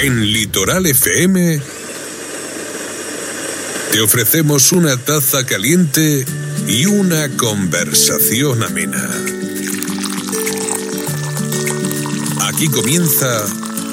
En Litoral FM te ofrecemos una taza caliente y una conversación amena. Aquí comienza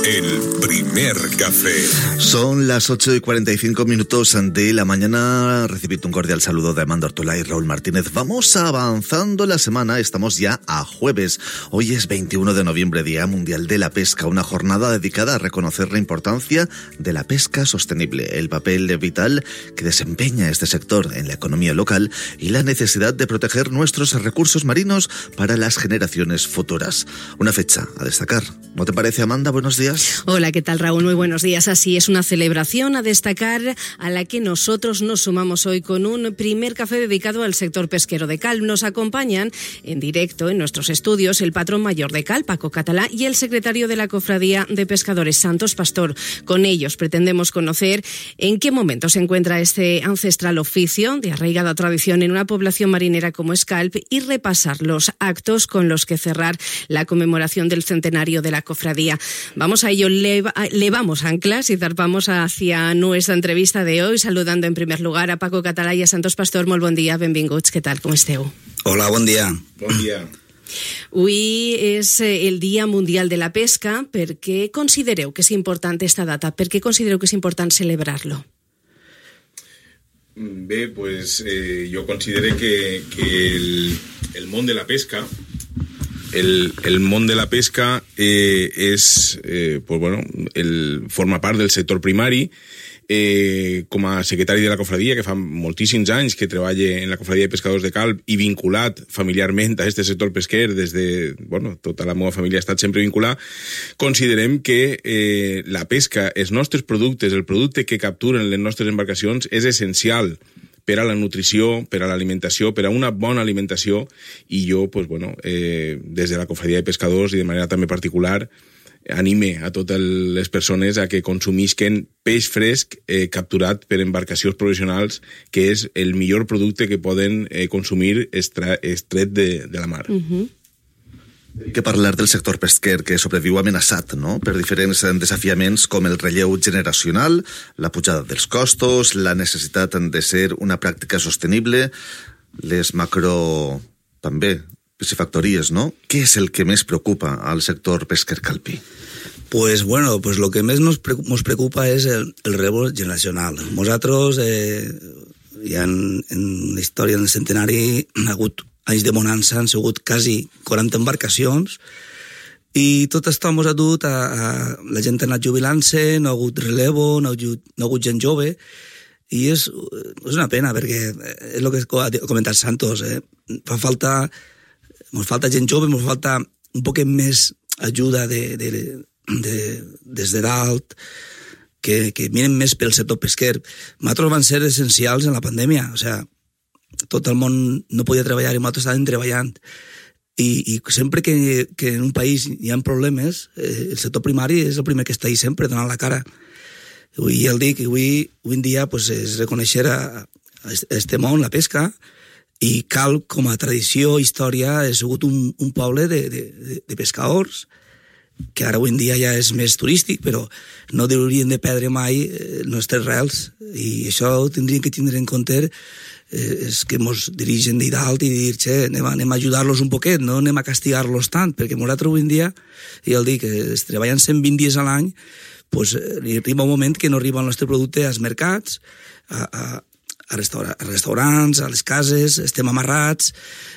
el primer café. Son las 8:45 de la mañana. Recibid un cordial saludo de Amanda Ortola y Raúl Martínez. Vamos avanzando la semana, estamos ya a jueves. Hoy es 21 de noviembre, Día Mundial de la Pesca, una jornada dedicada a reconocer la importancia de la pesca sostenible, el papel vital que desempeña este sector en la economía local y la necesidad de proteger nuestros recursos marinos para las generaciones futuras. Una fecha a destacar, ¿no te parece, Amanda? Buenos días. Hola, ¿qué tal, Raúl? Muy buenos días. Así es, una celebración a destacar a la que nosotros nos sumamos hoy con un primer café dedicado al sector pesquero de Calp. Nos acompañan en directo en nuestros estudios el patrón mayor de Calp, Paco Català, y el secretario de la Cofradía de Pescadores, Santos Pastor. Con ellos pretendemos conocer en qué momento se encuentra este ancestral oficio de arraigada tradición en una población marinera como es Calp y repasar los actos con los que cerrar la conmemoración del centenario de la cofradía. Vamos a ello, levamos anclas y zarpamos hacia nuestra entrevista de hoy, saludando en primer lugar a Paco Català i a Santos Pastor. Molt bon dia, benvinguts, què tal, com esteu? Hola, bon dia. Bon dia. Avui és el Dia Mundial de la Pesca. Per què considereu que és important esta data? Per què considereu que és important celebrar-lo? Bé, pues jo considero que el món de la pesca el món de la pesca forma part del sector primari. Com a secretari de la cofradia, que fa moltíssims anys que treballa en la cofradia de pescadors de Calp i vinculat familiarment a este sector pesquer tota la meva família ha estat sempre vinculada, considerem que la pesca, els nostres productes, el producte que capturen les nostres embarcacions és essencial per a la nutrició, per a l'alimentació, per a una bona alimentació, i jo, des de la cofradia de pescadors i de manera també particular, anime a totes les persones a que consumisquen peix fresc capturat per embarcacions professionals, que és el millor producte que poden consumir extret de la mar. Hay que parlar del sector pesquer, que sobreviu amenaçat, no?, per diferents desafiaments com el relleu generacional, la pujada dels costos, la necessitat de ser una pràctica sostenible, les també piscifactories, ¿no? ¿Qué es el que més preocupa al sector pesquer calpí? Pues lo que més nos preocupa és el relleu generacional. Nosaltres, ja en la història del centenari, ha hagut anys de bonança, han sigut quasi 40 embarcacions, i tot això ens ha dut a la gent ha anat jubilant-se, no ha hagut relevo, no ha hagut gent jove, i és una pena, perquè és el que ha comentat Santos, ens falta gent jove, ens falta un poc més ajuda des de dalt, que miren més pel sector pesquer. Nosaltres van ser essencials en la pandèmia, o sigui, tot el món no podia treballar i nosaltres estàvem treballant, i sempre que en un país hi ha problemes, el sector primari és el primer que està ahí sempre donant la cara. I ja el dic, avui en dia és reconèixer a este món, la pesca, i Calp, com a tradició, història, ha sigut un poble de pescadors, que ara avui en dia ja és més turístic, però no haurien de perdre mai les nostres rels, i això ho tindríem que tindre en compte, és que ens dirigen de dalt i dir, anem a ajudar-los un poquet, no anem a castigar-los tant, perquè nosaltres avui en dia, ja el dic, treballant 120 dies a l'any, arriba un moment que no arriba el nostre producte als mercats, a restaurants, a les cases, estem amarrats,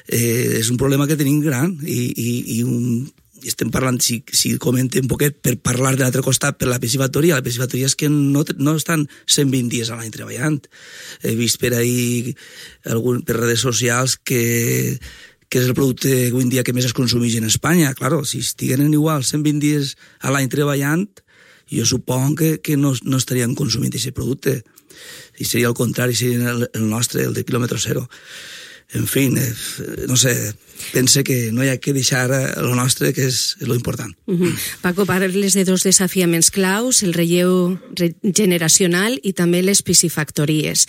és un problema que tenim gran, i estem parlant, si comentem un poquet, per parlar de l'altre costat, per la piscifactoria és que no estan 120 dies a l'any treballant. He vist per ahir, per redes socials, que és el producte avui en dia que més es consumeix en Espanya. Claro, si estigueren igual 120 dies a l'any treballant, jo suponc que no estaríem consumint aquest producte. I seria el contrari, seria el nostre, el de quilòmetre zero. En fi, no sé, pense que no hi ha que deixar el nostre, que és lo important. Paco, parles de dos desafiaments claus, el relleu generacional i també les piscifactories.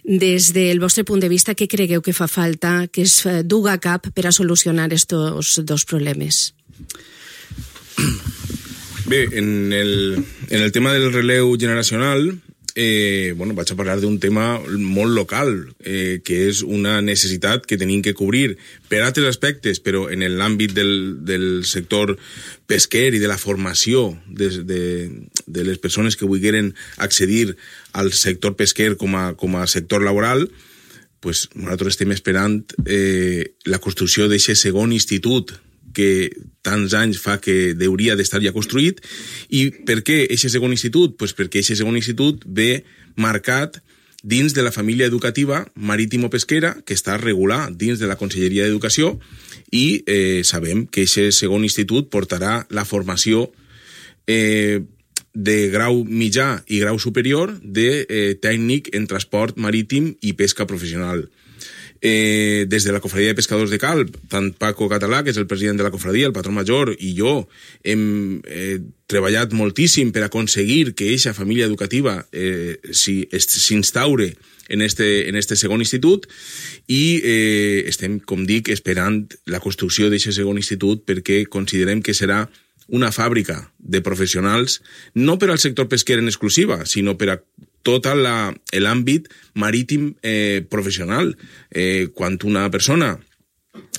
Des del vostre punt de vista, què cregueu que fa falta que es duga a cap per a solucionar estos dos problemes? Bé, en el tema del relleu generacional, vaig a parlar d'un tema molt local, que és una necessitat que tenim que cobrir per altres aspectes, però en l'àmbit del sector pesquer i de la formació de les persones que vulgueren accedir al sector pesquer com a sector laboral, pues nosaltres estem esperant la construcció d'aquest segon institut que tants anys fa que hauria d'estar ja construït. I per què aquest segon institut? Pues perquè aquest segon institut ve marcat dins de la família educativa marítimo-pesquera que està regulada dins de la Conselleria d'Educació i sabem que aquest segon institut portarà la formació de grau mitjà i grau superior de tècnic en transport marítim i pesca professional. Des de la Cofradia de Pescadors de Calp, tant Paco Català, que és el president de la cofradia, el patró major, i jo hem treballat moltíssim per aconseguir que aquesta família educativa s'instaure en este segon institut i estem, com dic, esperant la construcció d'aquest segon institut perquè considerem que serà una fàbrica de professionals, no per al sector pesquer en exclusiva, sinó per a tot l'àmbit marítim professional. Quan una persona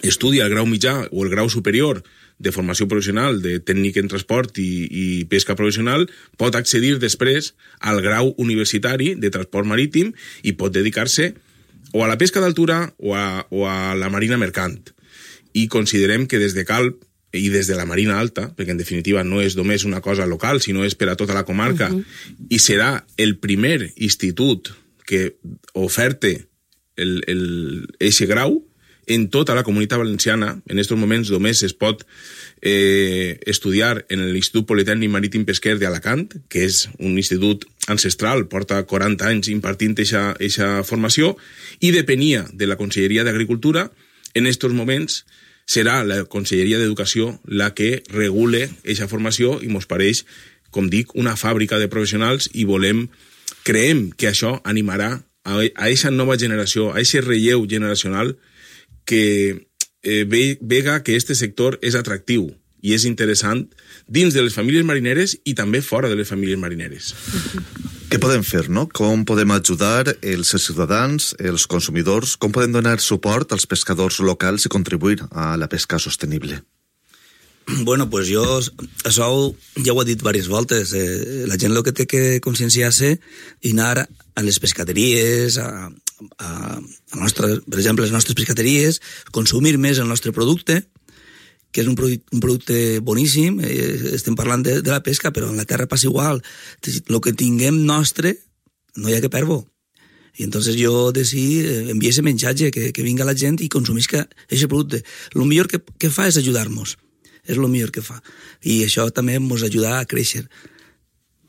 estudia el grau mitjà o el grau superior de formació professional de tècnic en transport i pesca professional, pot accedir després al grau universitari de transport marítim i pot dedicar-se o a la pesca d'altura o a la marina mercant. I considerem que des de Calp i des de la Marina Alta, perquè en definitiva no és només una cosa local, sinó és per a tota la comarca, i serà el primer institut que oferte eixe grau en tota la Comunitat Valenciana. En aquests moments només es pot estudiar en l'Institut Politécnic Marítim Pesquer d'Alacant, que és un institut ancestral, porta 40 anys impartint eixa formació, i depenia de la Conselleria d'Agricultura. En aquests moments serà la Conselleria d'Educació la que regule aquesta formació i mos pareix, com dic, una fàbrica de professionals i creiem que això animarà a aquesta nova generació, a aquest relleu generacional que vega que este sector és atractiu i és interessant dins de les famílies marineres i també fora de les famílies marineres. Què podem fer, no? Com podem ajudar els ciutadans, els consumidors? Com podem donar suport als pescadors locals i contribuir a la pesca sostenible? Bueno, pues jo això ja ho he dit diverses voltes. La gent el que té que conscienciar-se i anar a les pescateries, per exemple, les nostres pescateries, consumir més el nostre producte, que és un producte boníssim. Estem parlant de la pesca, però en la terra passa igual. El que tinguem nostre, no hi ha que perdre-ho. I entonces jo enviar ese menjatge, que vinga la gent i consumisca aquest producte. El millor que fa és ajudar-nos. És el millor que fa. I això també ens ajuda a créixer.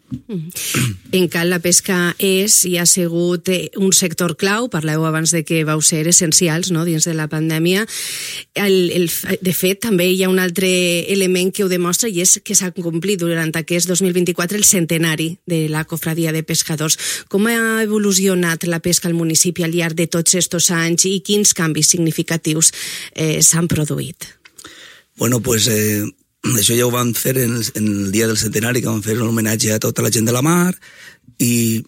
En Cal la pesca és i ha sigut un sector clau, parleu abans de que vau ser essencials, no?, dins de la pandèmia. De fet, també hi ha un altre element que ho demostra i és que s'ha complit durant aquest 2024 el centenari de la Cofradia de Pescadors. Com ha evolucionat la pesca al municipi al llarg de tots aquests anys i quins canvis significatius s'han produït? Bueno, pues això ja ho vam fer en el dia del centenari, que vam fer un homenatge a tota la gent de la mar, i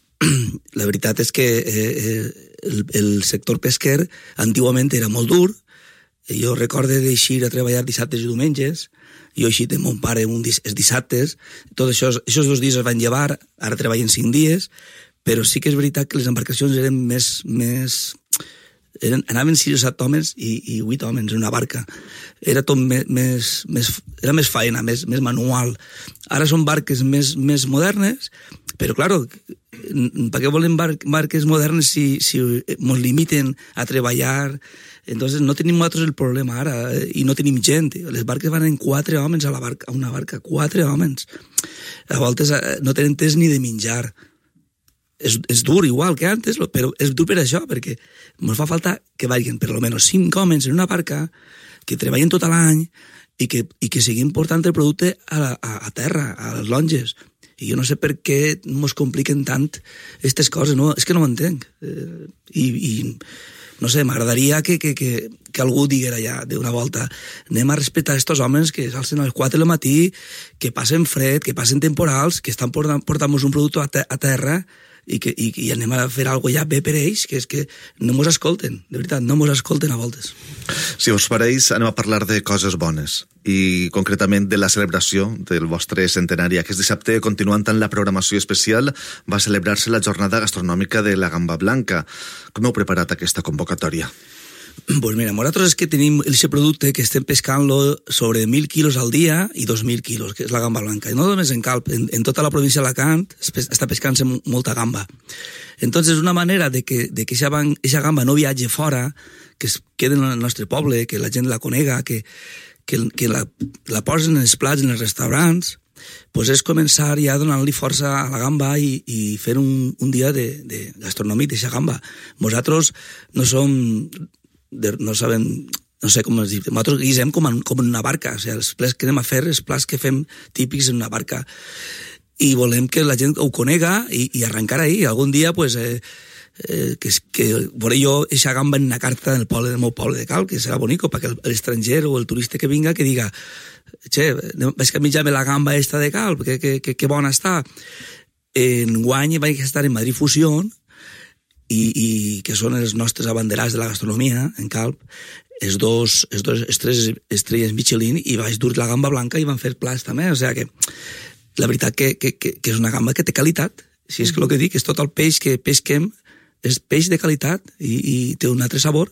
la veritat és que el sector pesquer antigament era molt dur. Jo recordo d'eixir a treballar dissabtes i diumenges, jo he eixit amb mon pare els dissabtes, tots aquests 2 dies es van llevar, ara treballen 5 dies, però sí que és veritat que les embarcacions eren anaven 6 o 7 homes i 8 homes en una barca. Era tot era més faena, més manual. Ara són barques més modernes, però, claro, per què volen barques modernes si ens limiten a treballar? Entonces no tenim nosaltres el problema ara, i no tenim gent. Les barques van en 4 homes a una barca, 4 homes. A voltes no tenen temps ni de menjar. És dur igual que antes, però és dur per això, perquè ens fa falta que vagin per almenys 5 homes en una barca, que treballen tot l'any i que seguim portant el producte a terra, a les longes. I jo no sé per què ens compliquen tant aquestes coses, no? És que no ho entenc. I no sé, m'agradaria que algú diguera ja d'una volta, anem a respectar estos homes que s'alcen a les 4 del matí, que passen fred, que passen temporals, que estan portant-nos un producte a terra i anem a fer alguna cosa ja bé per ells, que és que no mos escolten, de veritat, no mos escolten a voltes. Si us pareix, anem a parlar de coses bones i concretament de la celebració del vostre centenari. Aquest dissabte, continuant amb la programació especial, va celebrar-se la jornada gastronòmica de la gamba blanca. Com heu preparat aquesta convocatòria? Pues mira, nosaltres és que tenim aquest producte que estem pescant-lo sobre 1.000 quilos al dia i 2.000 quilos, que és la gamba blanca. I no només en Calp, en tota la província d'Alacant està pescant-se molta gamba. Entonces, una manera de que aquesta gamba no viatge fora, que es quedi en el nostre poble, que la gent la conega, que la posen en els plats, en els restaurants, pues és començar ja donant-li força a la gamba i fer un dia de gastronòmic d'aquesta gamba. Nosaltres no som... no sabem, no sé com es diu, nosaltres guisem com en una barca, o sigui, els plats que anem a fer, els plats que fem típics en una barca, i volem que la gent ho conega i arrencar ahí, algun dia, pues, que veuré jo eixa gamba en una carta del meu poble de Calp, que serà bonico, perquè l'estranger o el turista que vinga que diga, che, vaig a mitjar-me la gamba esta de Calp, que bona està. Enguany vaig estar en Madrid Fusión, i que són els nostres abanderats de la gastronomia en Calp, els tres estrelles Michelin, i vaig dur la gamba blanca i van fer plats també, o sigui que la veritat que és una gamba que té qualitat, si és que el que dic és tot el peix que pesquem és peix de qualitat i té un altre sabor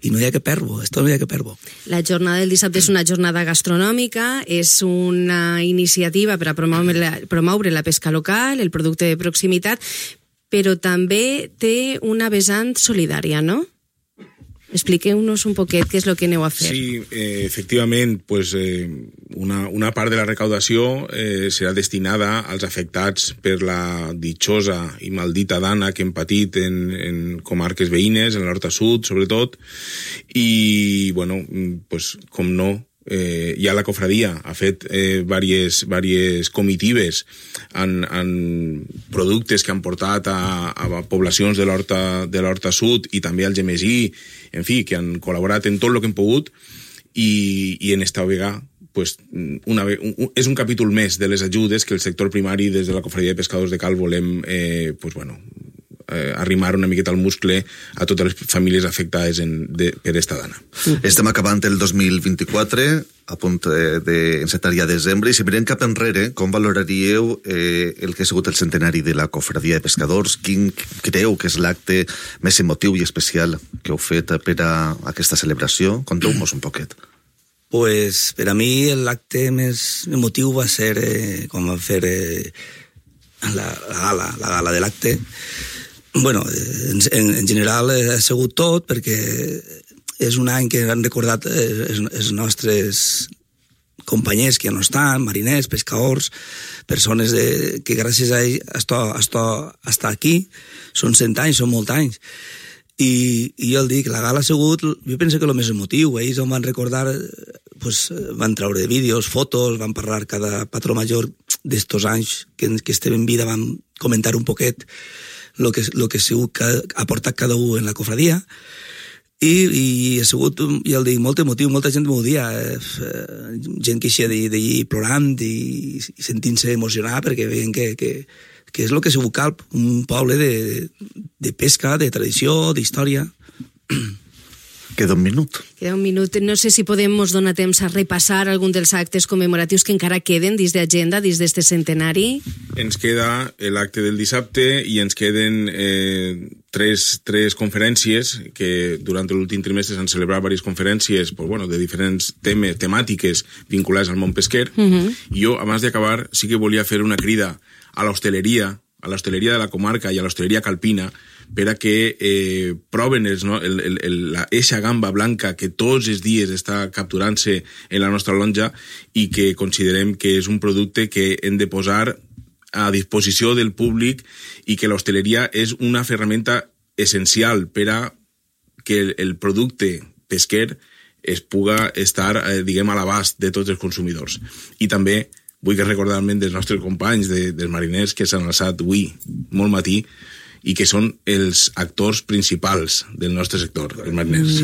i no hi ha que perdre-ho, esto no hi ha que perdre-ho. La jornada del dissabte és una jornada gastronòmica, és una iniciativa per a promoure la pesca local, el producte de proximitat, però també té una vessant solidària, no? Expliqueu-nos un poquet què és el que aneu a fer. Sí, efectivament, pues, una part de la recaudació serà destinada als afectats per la ditjosa i maldita dana que hem patit en comarques veïnes, en l'Horta Sud, sobretot, i, bueno, pues, com no, ja la cofradia ha fet diverses comitives en productes que han portat a poblacions de l'Horta Sud i també al Gemesí, en fi, que han col·laborat en tot el que hem pogut i en esta vegada pues, és un capítol més de les ajudes que el sector primari des de la cofradia de pescadors de Calp volem pues, bueno, arrimar una miqueta al muscle a totes les famílies afectades per esta dana. Estem acabant el 2024, a punt d'encetar ja desembre, i si mirem cap enrere, com valoraríeu el que ha sigut el centenari de la cofradia de pescadors? Quin creu que és l'acte més emotiu i especial que heu fet per a aquesta celebració? Conteu-nos un poquet. Pues per a mi l'acte més emotiu va ser quan vam fer la gala de l'acte. Bueno, en general ha sigut tot, perquè és un any que han recordat els nostres companys que ja no estan, mariners, pescadors, persones que gràcies a ells estar aquí, són 100 anys, són molts anys. I jo el dic, la gala ha sigut, jo penso que el més emotiu, ells on van recordar, pues, van treure vídeos, fotos, van parlar cada patró major d'estos anys que estem en vida, van comentar un poquet lo que ha portat cada un en la cofradia i ha sigut, ja el dic, molt emotiu, molta gent m'ho dia, gent que eixia d'allí plorant i sentint-se emocionar perquè veien que és el que ha sigut Calp, un poble de pesca, de tradició, d'història. Queda un minut. No sé si podem mos donar temps a repassar algun dels actes commemoratius que encara queden dins d'agenda, dins d'este centenari. Ens queda l'acte del dissabte i ens queden tres conferències que durant l'últim trimestre s'han celebrat diverses conferències pues, bueno, de diferents temàtiques vinculades al món pesquer. I jo, abans d'acabar, sí que volia fer una crida a l'hostaleria de la comarca i a l'hostaleria calpina per a que proven eixa gamba blanca que tots els dies està capturant-se en la nostra lonja i que considerem que és un producte que hem de posar a disposició del públic i que l'hostaleria és una ferramenta essencial per a que el producte pesquer es puga estar, diguem, a l'abast de tots els consumidors. I també vull recordar-me dels nostres companys, dels mariners que s'han alçat avui, molt matí, i que són els actors principals del nostre sector, els mariners.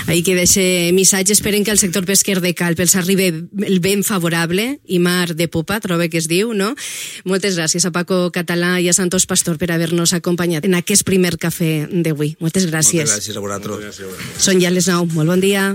Ahí que d'aquest missatge esperen que el sector pesquer de Calp els arribi el vent favorable i mar de popa, trobe que es diu, no? Moltes gràcies a Paco Català i a Santos Pastor per haver-nos acompanyat en aquest primer cafè d'avui. Moltes gràcies. Moltes gràcies a vosaltres. Són ja les 9. Molt bon dia.